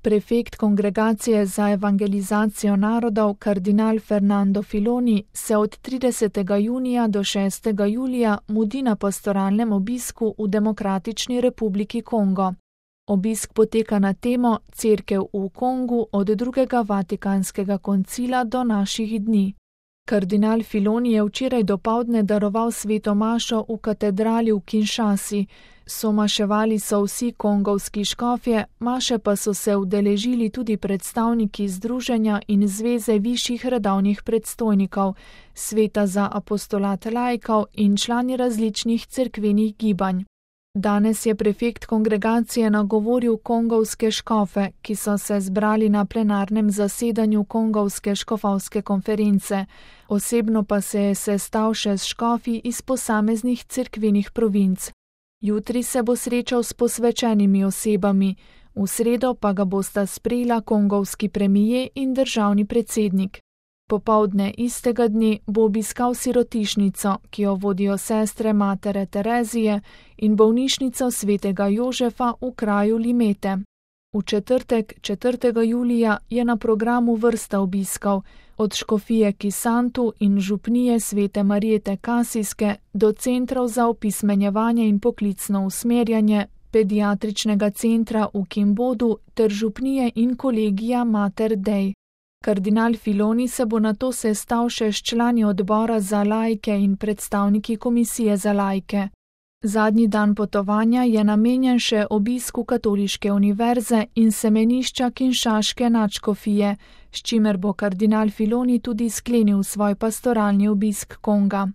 Prefekt Kongregacije za evangelizacijo narodov kardinal Fernando Filoni se od 30. junija do 6. julija mudi na pastoralnem obisku v Demokratični republiki Kongo. Obisk poteka na temo Cerkev v Kongu od drugega Vatikanskega koncila do naših dni. Kardinal Filoni je včeraj dopoldne daroval sveto mašo v katedrali v Kinshasi. Somaševali so vsi kongovski škofje, maše pa so se udeležili tudi predstavniki Združenja in Zveze višjih redovnih predstojnikov, Sveta za apostolat laikov in člani različnih cerkvenih gibanj. Danes je prefekt kongregacije nagovoril kongovske škofe, ki so se zbrali na plenarnem zasedanju kongovske škofovske konference. Osebno pa se je sestal še s škofi iz posameznih cerkvenih provinc. Jutri se bo srečal s posvečenimi osebami, v sredo pa ga bosta sprejela kongovski premijer in državni predsednik. Popoldne istega dne bo obiskal sirotišnico, ki jo vodijo sestre Matere Terezije, in bolnišnico svetega Jožefa v kraju Limete. V četrtek, 4. julija, je na programu vrsta obiskov, od škofije Kisantu in župnije svete Marijete Kasijske do centrov za opismenjevanje in poklicno usmerjanje, pediatričnega centra v Kimbodu ter župnije in kolegija Mater Dei. Kardinal Filoni se bo nato sestal še s člani odbora za laike in predstavniki komisije za laike. Zadnji dan potovanja je namenjen še obisku Katoliške univerze in semenišča Kinšaške nadškofije, s čimer bo kardinal Filoni tudi sklenil svoj pastoralni obisk Konga.